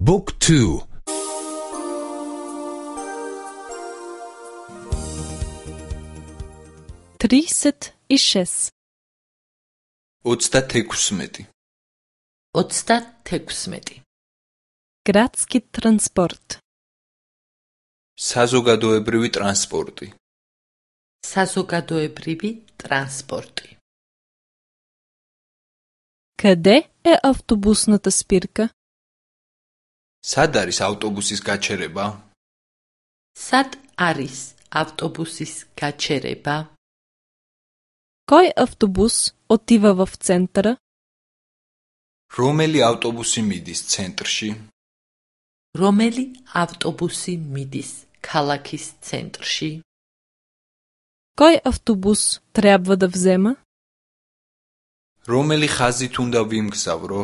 Book 2. 36. 36. 36. Gradski transport. საზოგადოებრივი ტრანსპორტი. საზოგადოებრივი ტრანსპორტი. Къде е автобусната спирка? სად არის ავტობუსის გაჩერება? სად არის ავტობუსის გაჩერება? Кой автобус отива в центъра? რომელი ავტობუსი მიდის ცენტრში? რომელი ავტობუსი მიდის ქალაქის ცენტრში? Кой автобус трябва да взема? რომელი ხაზით უნდა ვიმგზავრო?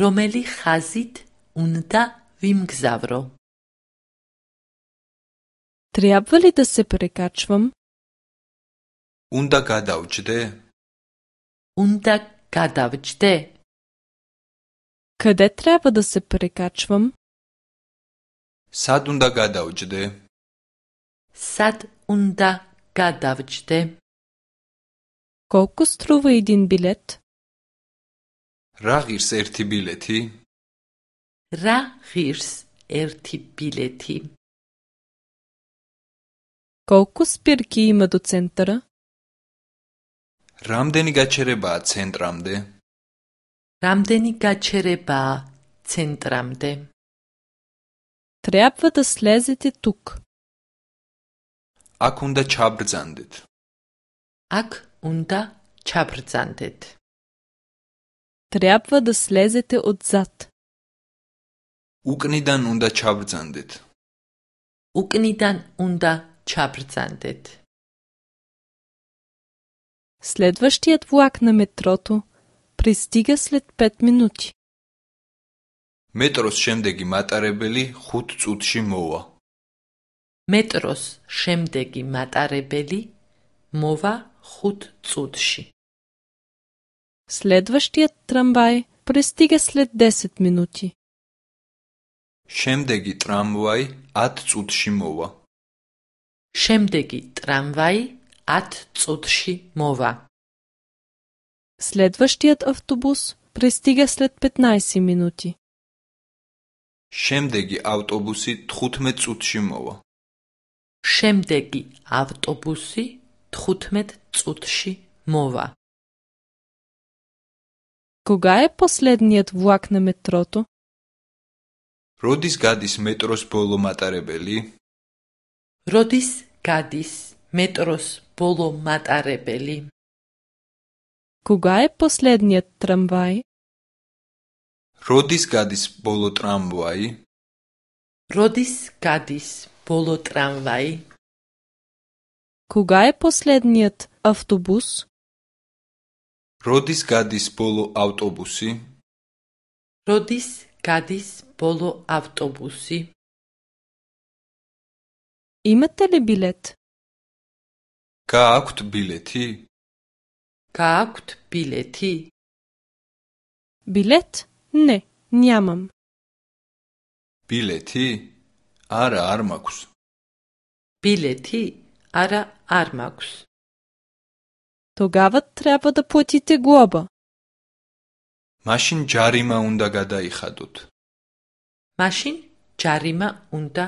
რომელი ხაზით უნდა ვიმგზავრო? Трябва ли да се прекачвам? უნდა გადავჯდე? უნდა გადავჯდე? Къде трябва да се прекачвам? სად უნდა გადავჯდე? სად უნდა გადავჯდე? Колко струва един билет? რა ღირს ერთი ბილეთი? რა ღირს ერთი ბილეთი? Колко спирки има до центъра? რამდენი გაჩერებაა ცენტრამდე? რამდენი გაჩერებაა ცენტრამდე? Трябва да слезете тук. აქ უნდა ჩაბრძანდეთ. აქ უნდა ჩაბრძანდეთ. Трябва да слезете отзад. უკნიდან უნდა ჩაბრძანდეთ. უკნიდან უნდა ჩაბრძანდეთ. Следващият влак на метрото пристига след 5 минути. მეტროს შემდეგი მატარებელი 5 წუთში მოვა. მეტროს შემდეგი მატარებელი მოვა 5 წუთში. Следващият трамвай пристига след 10 минути. შემდეგი ტრამვაი 10 წუთში მოვა. შემდეგი ტრამვაი 10 წუთში მოვა. Следващият автобус пристига след 15 минути. შემდეგი ავტობუსი 15 წუთში მოვა. შემდეგი ავტობუსი 15 წუთში მოვა. Кога е последният влак на метрото? როდის გადის მეტროს ბოლო მატარებელი? როდის გადის მეტროს ბოლო მატარებელი? Кога е последният трамвай? როდის გადის ბოლო ტრამვაი? როდის გადის ბოლო ტრამვაი? Кога е последният автобус? როდის გადის ბოლო ავტობუსი? როდის გადის ბოლო ავტობუსი? Имате ли билет? გააქვთ ბილეთი? გააქვთ ბილეთი? Билет? Не, нямам. ბილეთი? არა, არ მაქვს. ბილეთი? არა, არ მაქვს. Тогава трябва да платите глоба. მაშინ ჯარიმა უნდა გადაიხადოთ. მაშინ ჯარიმა უნდა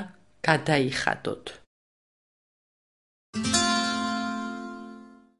გადაიხადოთ.